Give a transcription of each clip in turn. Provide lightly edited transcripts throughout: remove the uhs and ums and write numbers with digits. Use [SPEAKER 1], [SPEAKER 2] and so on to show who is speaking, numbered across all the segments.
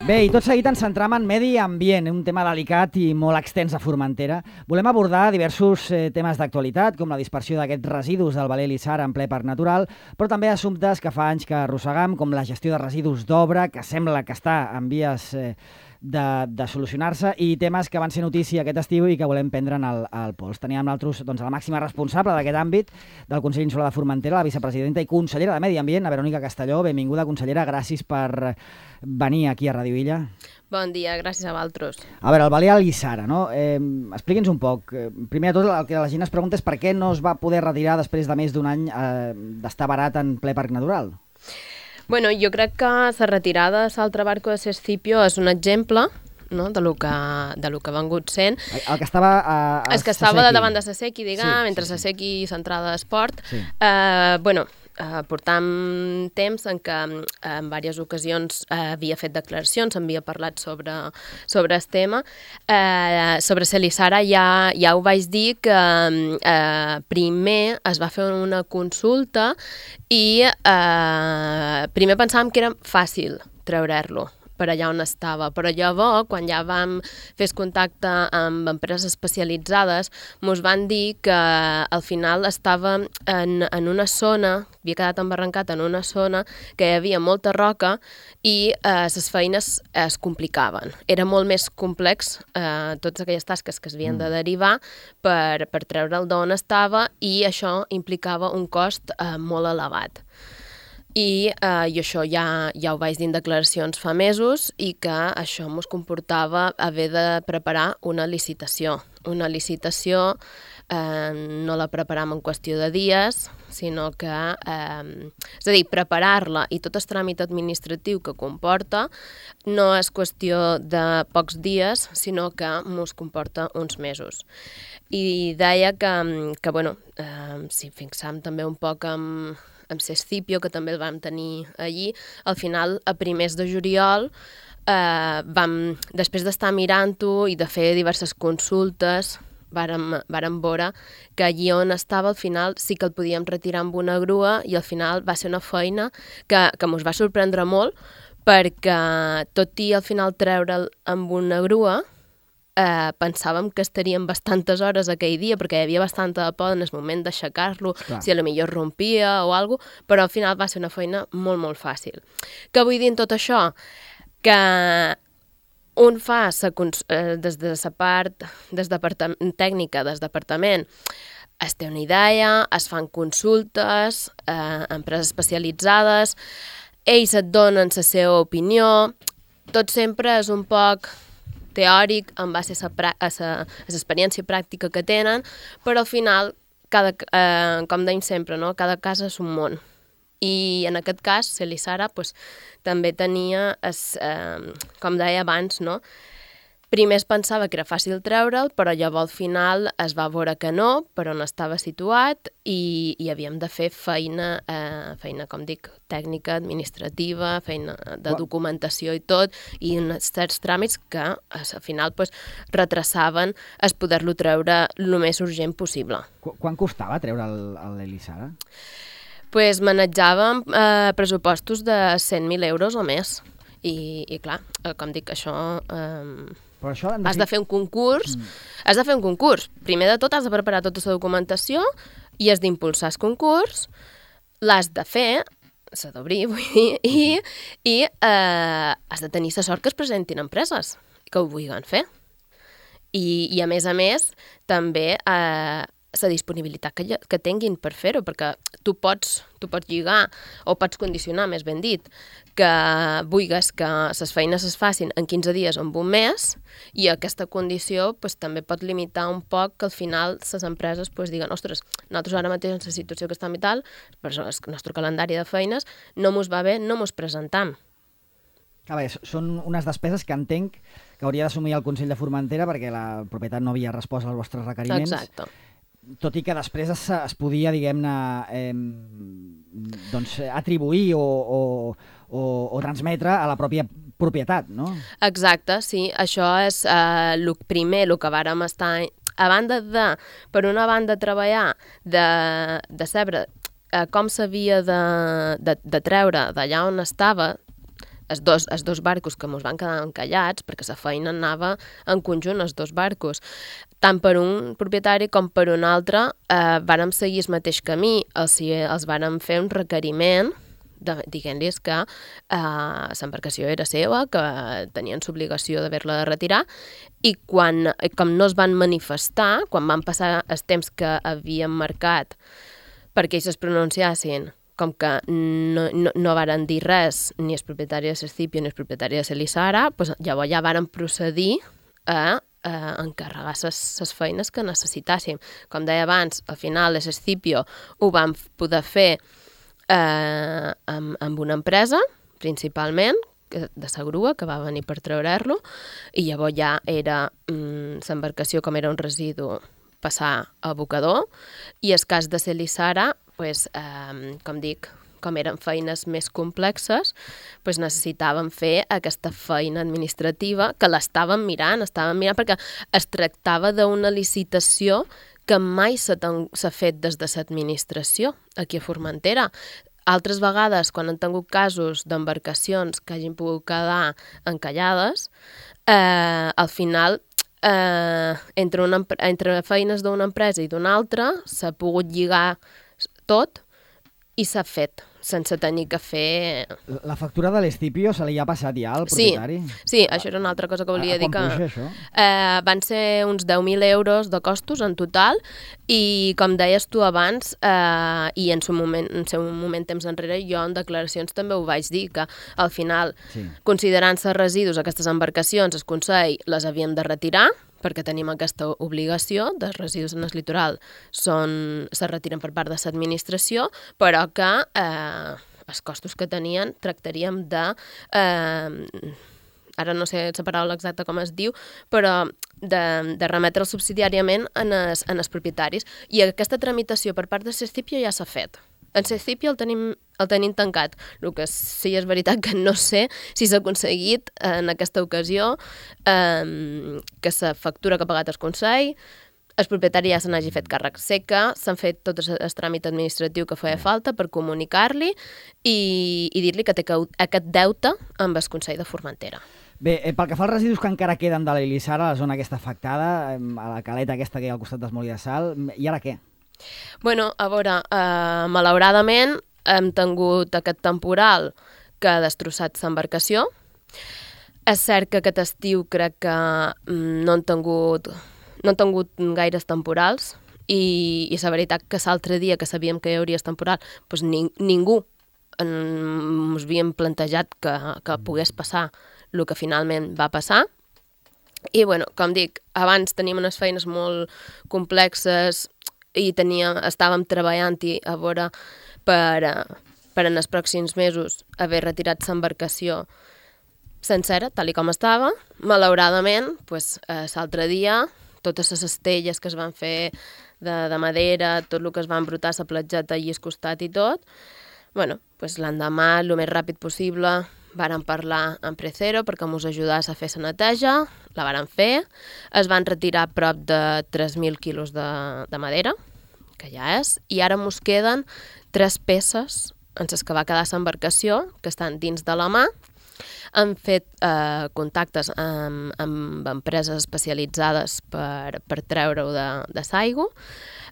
[SPEAKER 1] Bé, i tot seguit ens centram en medi ambient, un tema delicat i molt extens a Formentera. Volem abordar diversos temes d'actualitat, com la dispersió d'aquests residus del Valer Lissara en ple parc natural, però també assumptes que fa anys que arrossegam, com la gestió de residus d'obra, que sembla que està en vies de solucionar-se, i temes que van ser notícia aquest estiu i que volem prendre'n al pols. Teníem nosaltres la màxima responsable d'aquest àmbit del Consell Insular de Formentera, la vicepresidenta i consellera de Medi Ambient, la Verònica Castelló. Benvinguda, consellera, gràcies per venir aquí a Radio Illa.
[SPEAKER 2] Bon dia, gràcies a vosaltres.
[SPEAKER 1] A veure, el Valer Lissara, no? Expliqui'ns un poc. Primer de tot, el que la gent es pregunta és per què no es va poder retirar després de més d'un any d'estar barat en ple parc natural.
[SPEAKER 2] Bueno, jo crec que la retirada de Saltre Barco de Sescipio és un exemple, no?, de lo que ha vengut sent.
[SPEAKER 1] El que estava
[SPEAKER 2] el que estava de davant de Sasequi, diguem, entre Sasequi i Centrada d'Esport.
[SPEAKER 1] Sí.
[SPEAKER 2] Portam temps en què en diverses ocasions havia fet declaracions, havia parlat sobre el tema. Sobre Lissara ja ho vaig dir que primer es va fer una consulta i primer pensàvem que era fàcil treure-lo per allà on estava, però llavors, quan ja vam fer contacte amb empreses especialitzades, ens van dir que al final estava en una zona, havia quedat embarrancat en una zona que hi havia molta roca i les feines es complicaven. Era molt més complex totes aquelles tasques que es havien de derivar per treure'l d'on estava, i això implicava un cost molt elevat. I això ja ho vaig dir en declaracions fa mesos, i que això ens comportava haver de preparar una licitació. Una licitació no la preparam en qüestió de dies, sinó que, és a dir, preparar-la i tot el tràmit administratiu que comporta no és qüestió de pocs dies, sinó que ens comporta uns mesos. I deia que si fixam també un poc amb Sescipio, que també el vam tenir allí, al final, a primers de juliol, després d'estar mirant-ho i de fer diverses consultes, vàrem veure que allí on estava, al final, sí que el podíem retirar amb una grua, i al final va ser una feina que ens va sorprendre molt, perquè tot i al final treure'l amb una grua, pensàvem que estaríem bastantes hores aquell dia, perquè hi havia bastanta de por en el moment d'aixecar-lo, si potser rompia o alguna cosa, però al final va ser una feina molt, molt fàcil. Què vull dir en tot això? Que un fa, des de la part tècnica del departament, es té una idea, es fan consultes, empreses especialitzades, ells et donen la seva opinió, tot sempre és un poc teòric, en base a l'experiència pràctica que tenen, però al final, com deim sempre, no?, cada cas és un món. I en aquest cas, Lissara també tenia, com deia abans, no?, primer es pensava que era fàcil treure'l, però llavors al final es va veure que no, però on estava situat, i havíem de fer feina, com dic, tècnica, administrativa, feina de documentació i tot, i certs tràmits que al final retrasaven es poder-lo treure el més urgent possible.
[SPEAKER 1] Quan costava treure l'Elissara?
[SPEAKER 2] Manejàvem pressupostos de 100.000 euros o més. I clar, com dic, això... Has de fer un concurs. Primer de tot has de preparar tota la documentació i has d'impulsar el concurs, l'has de fer, s'ha d'obrir, vull dir, i has de tenir la sort que es presentin empreses que ho vulguin fer. I a més, també la disponibilitat que tinguin per fer-ho, perquè tu pots lligar o pots condicionar, més ben dit, que vulguis que les feines es facin en 15 dies o en un mes, i aquesta condició també pot limitar un poc que al final les empreses diguen, ostres, nosaltres ara mateix en la situació que estem i tal, per això el nostre calendari de feines no mos va bé, no mos presentam.
[SPEAKER 1] Són unes despeses que entenc que hauria d'assumir el Consell de Formentera perquè la propietat no havia respost als vostres requeriments.
[SPEAKER 2] Exacte.
[SPEAKER 1] Tot i que després es podia, diguem-ne, atribuir o transmetre a la pròpia propietat, no?
[SPEAKER 2] Exacte, sí. Això és el primer, el que vàrem estar... A banda de, per una banda, treballar de saber com s'havia de treure d'allà on estava, els dos barcos que ens van quedar encallats, perquè la feina anava en conjunt, els dos barcos. Tant per un propietari com per un altre vàrem seguir el mateix camí, els vàrem fer un requeriment dient-los que l'embarcació era seva, que tenien l'obligació d'haver-la de retirar, i com no es van manifestar, quan van passar els temps que havien marcat perquè ells es pronunciassin, com que no varen dir res ni el propietari de l'Escipio ni el propietari de l'Isara, doncs llavors ja varen procedir a encarregar les feines que necessitàssim. Com deia abans, al final l'Escipio ho vam poder fer amb una empresa, principalment, de la grua, que va venir per treure-lo, i llavors ja era l'embarcació, com era un residu, passar a abocador, i el cas de l'Isara, com dic, com eren feines més complexes, necessitàvem fer aquesta feina administrativa, que l'estàvem mirant perquè es tractava d'una licitació que mai s'ha fet des de l'administració aquí a Formentera. Altres vegades, quan han tingut casos d'embarcacions que hagin pogut quedar encallades, al final, entre feines d'una empresa i d'una altra, s'ha pogut lligar tot i s'ha fet, sense tenir que fer...
[SPEAKER 1] La factura de l'Escipio se li ha passat ja al propietari?
[SPEAKER 2] Sí, això era una altra cosa que volia dir.
[SPEAKER 1] Quan puja això?
[SPEAKER 2] Van ser uns 10.000 euros de costos en total i, com deies tu abans, i en un moment temps enrere, jo en declaracions també ho vaig dir, que al final, considerant-se residus aquestes embarcacions, el Consell les havíem de retirar, perquè tenim aquesta obligació dels residus en el litoral se retiren per part de l'administració, però que els costos que tenien tractaríem de... ara no sé la paraula exacta com es diu, però de remetre'ls subsidiàriament en els propietaris. I aquesta tramitació per part de l'Escipio ja s'ha fet. En l'Escipio el tenim tancat. El que sí és veritat que no sé si s'ha aconseguit en aquesta ocasió que la factura que ha pagat el Consell, el propietari ja se n'hagi fet càrrec. Sé que s'han fet tot el tràmit administratiu que feia falta per comunicar-li i dir-li que té aquest deute amb el Consell de Formentera.
[SPEAKER 1] Bé, pel que fa als residus que encara queden de l'Isara, a la zona aquesta afectada, a la caleta aquesta que hi ha al costat del Molí de Sal, i ara què?
[SPEAKER 2] Bueno, a veure, malauradament hem tingut aquest temporal que ha destrossat l'embarcació. És cert que aquest estiu crec que no han tingut gaires temporals i la veritat que l'altre dia que sabíem que hi hauria temporal, doncs ningú ens havíem plantejat que pogués passar el que finalment va passar. I, bueno, com dic, abans teníem unes feines molt complexes i estàvem treballant-hi a veure per en els pròxims mesos haver retirat l'embarcació sencera, tal com estava. Malauradament, l'altre dia, totes les estelles que es van fer de madera, tot el que es va embrutar, la platgeta allà al costat i tot, l'endemà, el més ràpid possible, vàrem parlar amb Precero perquè ens ajudés a fer la neteja, la vàrem fer, es van retirar prop de 3.000 quilos de madera, que ja és, i ara ens queden 3 peces en les que va quedar l'embarcació, que estan dins de la mà. Han fet contactes amb empreses especialitzades per treure-ho de l'aigua.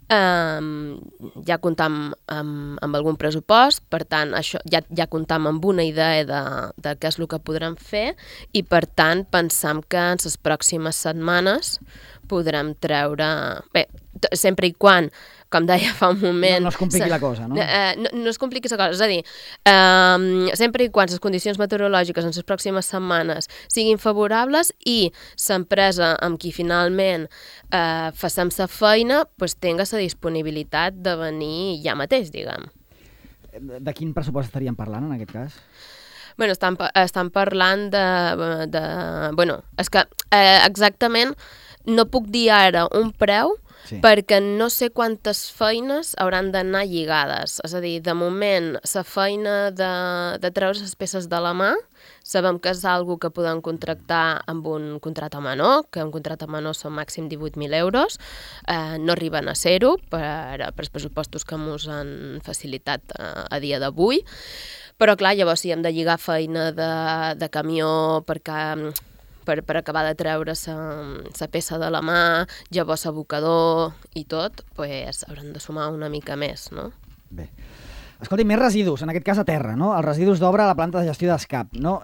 [SPEAKER 2] Ja comptam amb algun pressupost, per tant, això ja comptam amb una idea de què és el que podrem fer i, per tant, pensam que en les pròximes setmanes podrem treure... Bé, sempre i quan, com deia fa un moment...
[SPEAKER 1] No es compliqui la cosa, no?
[SPEAKER 2] No es compliqui la cosa, és a dir, sempre i quan les condicions meteorològiques en les pròximes setmanes siguin favorables i l'empresa amb qui finalment facem la feina tenga la disponibilitat de venir ja mateix, diguem.
[SPEAKER 1] De quin pressupost estaríem parlant, en aquest cas?
[SPEAKER 2] Bueno, estan parlant de... Bueno, és que exactament no puc dir ara un preu, perquè no sé quantes feines hauran d'anar lligades. És a dir, de moment, la feina de treure les peces de la mà, sabem que és algo que podem contractar amb un contracte menor, que un contracte menor són màxim 18.000 euros, no arriben a ser-ho per els pressupostos que ens han facilitat a dia d'avui, Però clar, llavors si hem de lligar feina de camió per acabar de treure la peça de la mà, llavors abocador i tot, pues, hauran de sumar una mica més, no?
[SPEAKER 1] Bé. Escolti, més residus, en aquest cas a terra, no? Els residus d'obra a la planta de gestió d'ESCAP, no?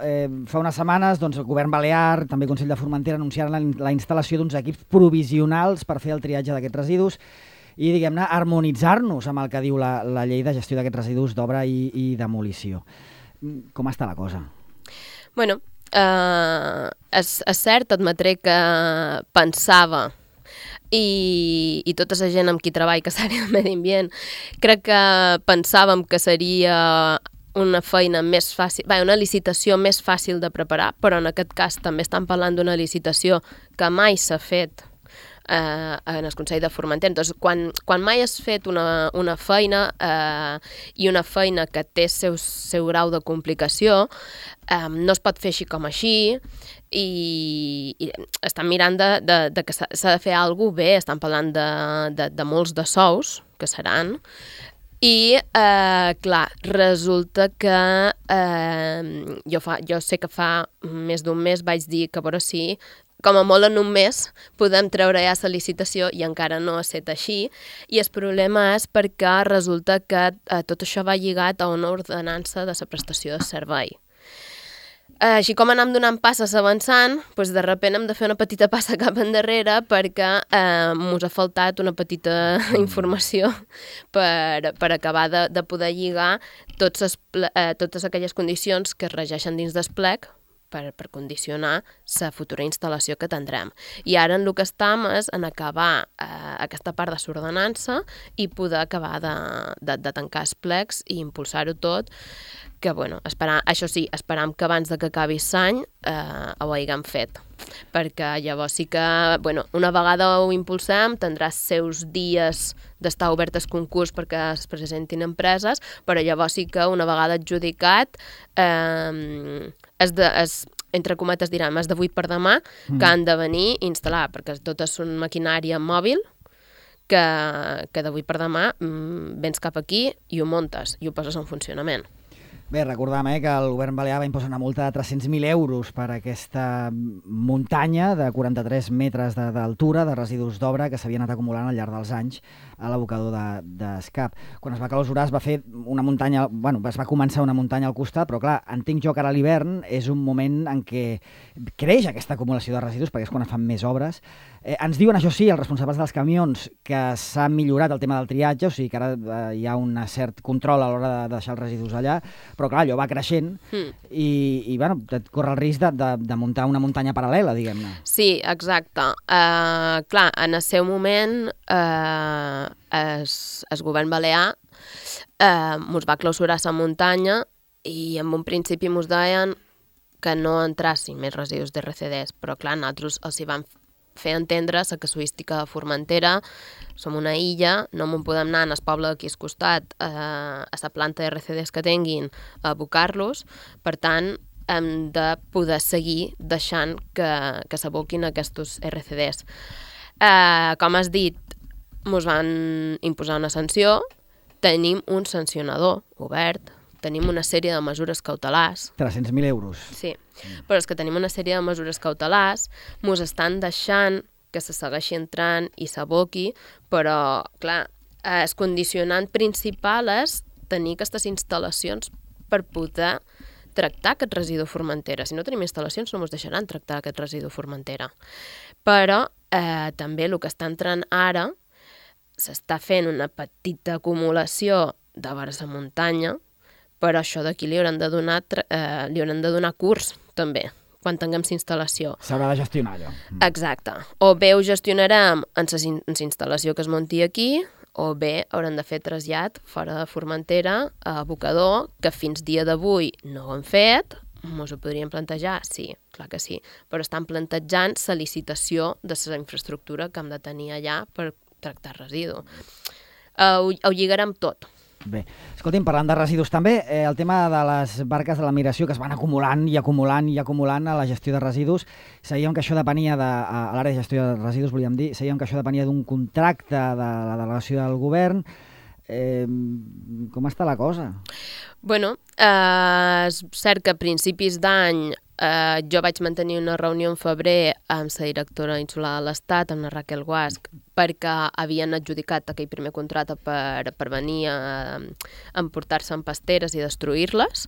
[SPEAKER 1] Fa unes setmanes, doncs, el govern balear, també el Consell de Formentera, anunciaren la instal·lació d'uns equips provisionals per fer el triatge d'aquests residus i, diguem-ne, harmonitzar-nos amb el que diu la llei de gestió d'aquests residus d'obra i demolició. Com està la cosa?
[SPEAKER 2] Bueno, és cert, admetré que pensava i tota la gent amb qui treballa que s'àrea de medi ambient, crec que pensàvem que seria una feina més fàcil, una licitació més fàcil de preparar, però en aquest cas també estan parlant d'una licitació que mai s'ha fet en el Consell de Formentera. Entonces, quan mai has fet una feina i una feina que té seu grau de complicació, no es pot fer així com així i estan mirant de que s'ha de fer alguna cosa bé, estan parlant de molts de sous que seran i, clar, resulta que jo sé que fa més d'un mes vaig dir que a veure si com a molt en un mes podem treure ja la licitació i encara no ha estat així. I el problema és perquè resulta que tot això va lligat a una ordenança de la prestació de servei. Així com anem donant passes avançant, doncs de sobte hem de fer una petita passa cap endarrere perquè mos ha faltat una petita informació per acabar de poder lligar totes aquelles condicions que es regeixen dins del plec per condicionar la futura instal·lació que tindrem. I ara en el que estem és en acabar aquesta part de l'ordenança i poder acabar de tancar els plecs i impulsar-ho tot, que, bueno, això sí, esperam que abans que acabi l'any ho haguem fet. Perquè llavors sí que, bueno, una vegada ho impulsem, tindrà els seus dies d'estar obert al concurs perquè es presentin empreses, però llavors sí que una vegada adjudicat entre cometes direm, és d'avui per demà que han de venir i instal·lar, perquè tot és una maquinària mòbil que d'avui per demà vens cap aquí i ho muntes i ho poses en funcionament.
[SPEAKER 1] Bé, recordam que el govern balear va imposar una multa de 300.000 euros per aquesta muntanya de 43 metres d'altura de residus d'obra que s'havien anat acumulant al llarg dels anys a l'abocador d'ESCAP. Quan es va clausurar es va fer una muntanya, es va començar una muntanya al costat, però clar, entenc jo que ara a l'hivern és un moment en què creix aquesta acumulació de residus, perquè és quan es fan més obres. Ens diuen, això sí, els responsables dels camions, que s'ha millorat el tema del triatge, o sigui que ara hi ha un cert control a l'hora de deixar els residus allà, però clar, allò va creixent i corre el risc de muntar una muntanya paral·lela, diguem-ne.
[SPEAKER 2] Sí, exacte. Clar, en el seu moment el govern balear mos va clausurar la muntanya i en un principi mos deien que no entrassin més residus d'RCDs, però clar, nosaltres els hi vam fer entendre la casuística de Formentera. Som una illa, no m'ho podem anar al poble d'aquí al costat a la planta de RCDs que tinguin a abocar-los, per tant hem de poder seguir deixant que s'aboquin aquests RCDs. Com has dit, ens van imposar una sanció, tenim un sancionador obert, tenim una sèrie de mesures cautelars.
[SPEAKER 1] 300.000 euros.
[SPEAKER 2] Sí, però és que tenim una sèrie de mesures cautelars, ens estan deixant que se segueixi entrant i s'aboqui, però, clar, el condicionant principal és tenir aquestes instal·lacions per poder tractar aquest residu Formentera. Si no tenim instal·lacions no ens deixaran tractar aquest residu Formentera. Però també el que està entrant ara s'està fent una petita acumulació de vers a muntanya, però això d'aquí li hauran de donar curs, també, quan tinguem la instal·lació.
[SPEAKER 1] S'haurà de gestionar allò.
[SPEAKER 2] Exacte. O bé ho gestionarem en la instal·lació que es munti aquí, o bé hauran de fer trasllat fora de Formentera a abocador, que fins dia d'avui no ho han fet. Ens ho podríem plantejar? Sí, clar que sí. Però estan plantejant la licitació de la infraestructura que hem de tenir allà per tractar residu. Ho lligarem tot.
[SPEAKER 1] Bé, escolti'm, parlant de residus també, el tema de les barques de la migració que es van acumulant i acumulant i acumulant a la gestió de residus, sabíem que això depenia a l'àrea de gestió de residus, volíem dir, sabíem que això depenia d'un contracte de la delegació del govern. Com està la cosa?
[SPEAKER 2] Bueno, és cert que a principis d'any jo vaig mantenir una reunió en febrer amb la directora insular de l'Estat, amb la Raquel Guasch, perquè havien adjudicat aquell primer contracte per venir a emportar-se en pasteres i destruir-les.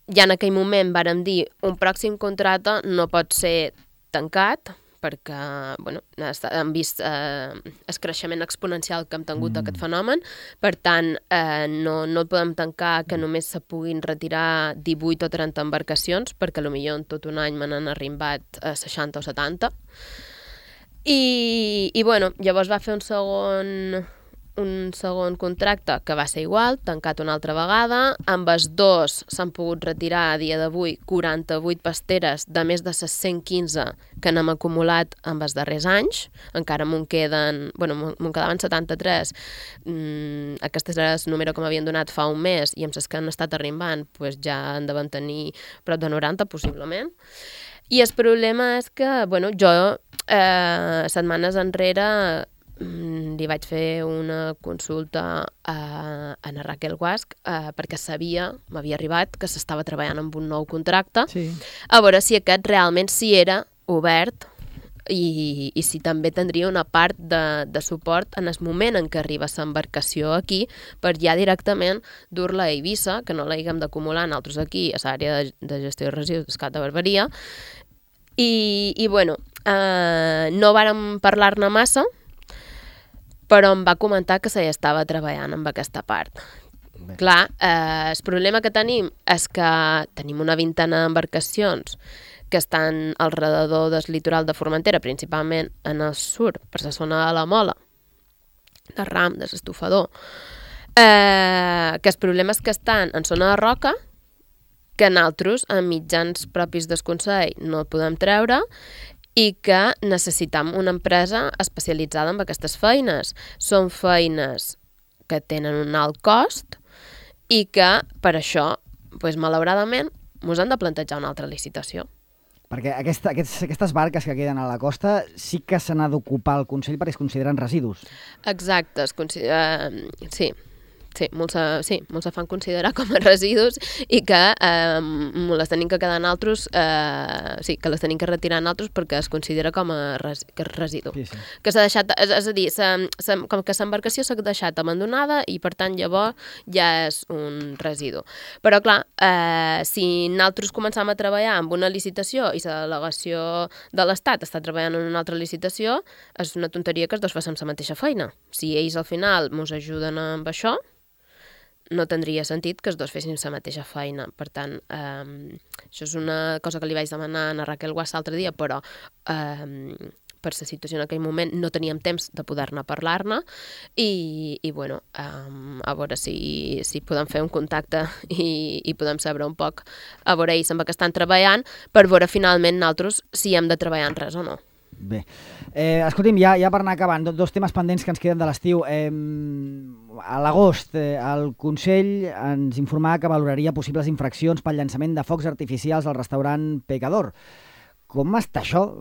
[SPEAKER 2] Ja en aquell moment vàrem dir un pròxim contracte no pot ser tancat, perquè hem vist el creixement exponencial que hem tingut d'aquest fenomen. Per tant, no el podem tancar que només se puguin retirar 18 o 30 embarcacions, perquè potser en tot un any me n'han arribat 60 o 70. I llavors va fer un segon contracte que va ser igual, tancat una altra vegada. Amb els dos s'han pogut retirar a dia d'avui 48 pasteres de més de 115 que n'hem acumulat en els darrers anys. Encara m'en quedaven 73. Aquest és el número que m'havien donat fa un mes i amb les que han estat arribant ja en deuen tenir prop de 90, possiblement. I el problema és que, jo setmanes enrere li vaig fer una consulta a la Raquel Guasch perquè m'havia arribat que s'estava treballant amb un nou contracte, a veure si aquest realment era obert i si també tindria una part de suport en el moment en què arriba l'embarcació aquí per ja directament dur-la a Eivissa, que no la haguem d'acumular nosaltres aquí a l'àrea de gestió de residus d'Escat de Barberia. No vàrem parlar-ne massa, però em va comentar que se hi estava treballant amb aquesta part. Bé. Clar, el problema que tenim és que tenim una vintena d'embarcacions que estan al redador del litoral de Formentera, principalment en el sud, per la zona de la Mola, de Ram, de l'Estufador, que el problema és que estan en zona de roca, que nosaltres, amb mitjans propis del Consell, no el podem treure, i que necessitam una empresa especialitzada en aquestes feines. Són feines que tenen un alt cost i que, per això, malauradament, ens han de plantejar una altra licitació.
[SPEAKER 1] Perquè aquestes barques que queden a la costa sí que se n'ha d'ocupar el Consell perquè es consideren residus.
[SPEAKER 2] Exacte, sí. Molts se fan considerar com a residus i que les tenim que quedar nosaltres, que les tenim que retirar nosaltres perquè es considera com a residu. Sí. Que s'ha deixat, és a dir, com que l'embarcació s'ha deixat abandonada i per tant llavors ja és un residu. Però clar, si nosaltres començam a treballar amb una licitació i la delegació de l'Estat està treballant en una altra licitació, és una tonteria que els dos facin la mateixa feina. Si ells al final ens ajuden amb això, no tindria sentit que els dos fessin la mateixa feina. Per tant, això és una cosa que li vaig demanar a Raquel Guasch l'altre dia, però per la situació en aquell moment no teníem temps de poder-ne parlar-ne i a veure si podem fer un contacte i podem saber un poc a veure ells amb què estan treballant per veure finalment nosaltres si hem de treballar en res o no.
[SPEAKER 1] Bé, escolti'm, ja per anar acabant, dos temes pendents que ens queden de l'estiu. A l'agost, el Consell ens informava que valoraria possibles infraccions pel llançament de focs artificials al restaurant Pecador. Com està això?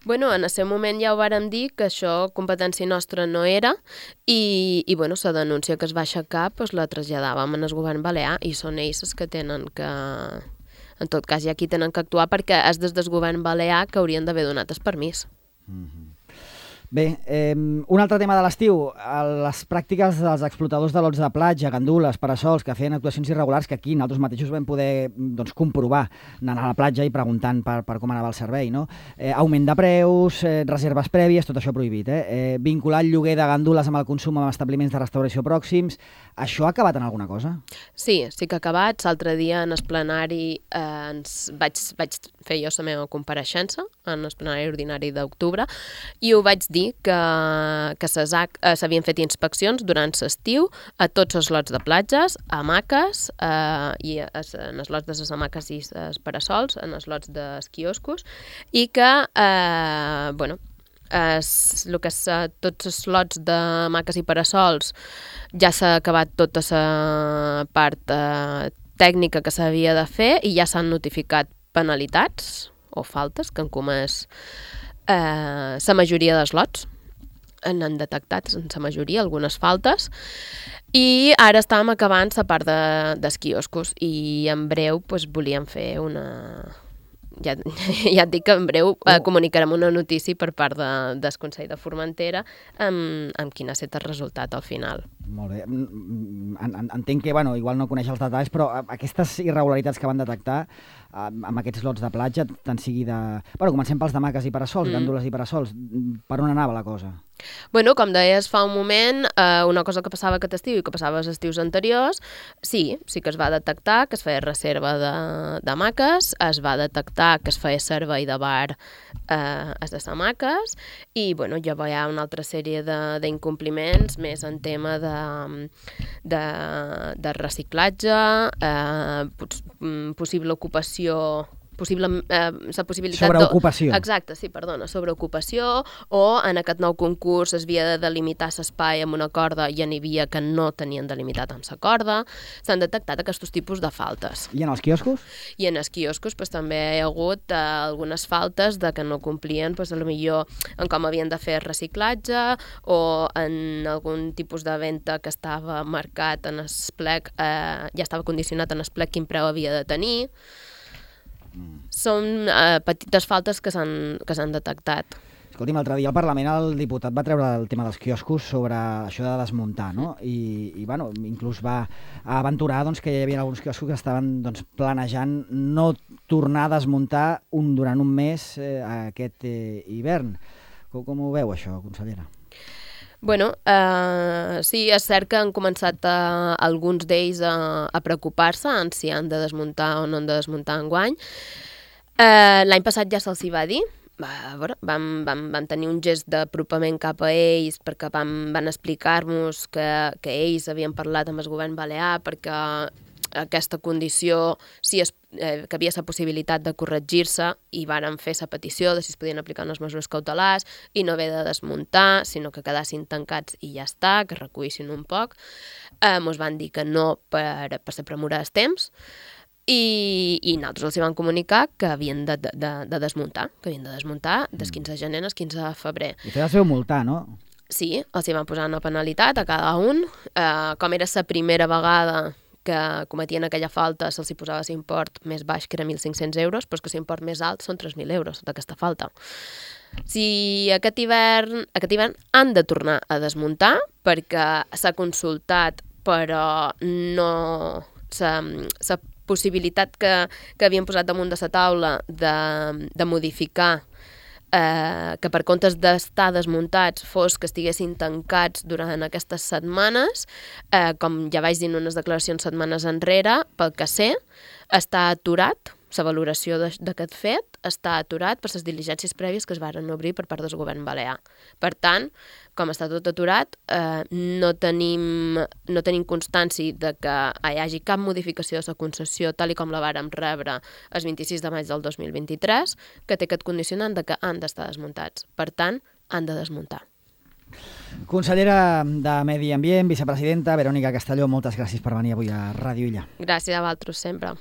[SPEAKER 2] En el seu moment ja ho vàrem dir que això competència nostra no era i la denúncia que es va aixecar la traslladàvem al govern balear i són ells els que tenen que... En tot cas, hi ha qui tenen que actuar perquè és des del govern balear que haurien d'haver donat el permís.
[SPEAKER 1] Bé, un altre tema de l'estiu, les pràctiques dels explotadors de lots de platja, gandules, parasols, que feien actuacions irregulars que aquí nosaltres mateixos vam poder comprovar anant a la platja i preguntant per com anava el servei, no? Augment de preus, reserves prèvies, tot això prohibit. Vincular el lloguer de gandules amb el consum en establiments de restauració pròxims, això ha acabat en alguna cosa?
[SPEAKER 2] Sí que ha acabat. L'altre dia en el plenari vaig fer jo la meva compareixença en el plenari ordinari d'octubre i ho vaig dir que s'havien fet inspeccions durant l'estiu a tots els lots de platges, a hamaques, i en els lots de les hamaques i els parasols, en els lots dels quioscos, i que, tots els lots de hamaques i parasols ja s'ha acabat tota la part tècnica que s'havia de fer i ja s'han notificat penalitats o faltes que han comès la majoria dels lots. n'han detectat, en la majoria, algunes faltes, i ara estàvem acabant la part dels quioscos i en breu volíem fer una... Ja et dic que en breu comunicarem una notícia per part del Consell de Formentera amb quin ha estat el resultat al final.
[SPEAKER 1] Molt bé. Entenc que, igual no coneix els detalls, però aquestes irregularitats que van detectar amb aquests lots de platja, tant sigui de... Comencem pels de maques i parasols, gàndoles i parasols. Per on anava la cosa?
[SPEAKER 2] Com deies fa un moment, una cosa que passava aquest estiu i que passava els estius anteriors, sí que es va detectar que es feia reserva de maques, es va detectar que es feia servei de bar a les maques i ja hi ha una altra sèrie d'incompliments més en tema de reciclatge, possible ocupació, la possibilitat
[SPEAKER 1] sobreocupació.
[SPEAKER 2] Exacte, sí, perdona, sobreocupació, o en aquest nou concurs es havia de delimitar l'espai amb una corda i n'hi havia que no tenien delimitat amb la corda. S'han detectat aquests tipus de faltes.
[SPEAKER 1] I en els quioscos?
[SPEAKER 2] I en els quioscos també hi ha hagut algunes faltes de que no complien potser en com havien de fer reciclatge o en algun tipus de venda que estava marcat en el plec, ja estava condicionat en el plec quin preu havia de tenir. Són petites faltes que s'han detectat.
[SPEAKER 1] Escolti'm, l'altre dia al Parlament el diputat va treure el tema dels quioscos sobre això de desmuntar, no? I inclús va aventurar que hi havia alguns quioscos que estaven planejant no tornar a desmuntar durant un mes aquest hivern. Com ho veu, això, consellera?
[SPEAKER 2] Sí, és cert que han començat alguns d'ells a preocupar-se en si han de desmuntar o no han de desmuntar enguany. L'any passat ja se'ls hi va dir. Vam tenir un gest d'apropament cap a ells perquè van explicar-nos que ells havien parlat amb el govern balear perquè aquesta condició que havia la possibilitat de corregir-se i varen fer la petició de si es podien aplicar unes mesures cautelars i no haver de desmuntar, sinó que quedassin tancats i ja està, que recuïssin un poc. Ens van dir que no per la premura dels temps i nosaltres els van comunicar que havien de desmuntar, des 15 de gener al 15 de febrer.
[SPEAKER 1] I els vau multar, no?
[SPEAKER 2] Sí, els hi van posar una penalitat a cada un. Com era la primera vegada que cometien aquella falta, se'ls hi posava l'import més baix, que era 1.500 euros, però que l'import més alt són 3.000 euros d'aquesta falta. Si aquest hivern han de tornar a desmuntar, perquè s'ha consultat, però no... La possibilitat que havien posat damunt de la taula de modificar que per comptes d'estar desmuntats fos que estiguessin tancats durant aquestes setmanes, com ja vaig dir en unes declaracions setmanes enrere, pel que sé, està aturat, la valoració d'aquest fet està aturat per les diligències prèvies que es varen obrir per part del govern balear. Per tant, com està tot aturat, no tenim constància de que hi hagi cap modificació de la concessió tal com la vàrem rebre el 26 de maig del 2023, que té aquest condicionant de que han d'estar desmuntats. Per tant, han de desmuntar.
[SPEAKER 1] Consellera de Medi Ambient, vicepresidenta Verònica Castelló, moltes gràcies per venir avui a Ràdio Illa.
[SPEAKER 2] Gràcies a vosaltres sempre.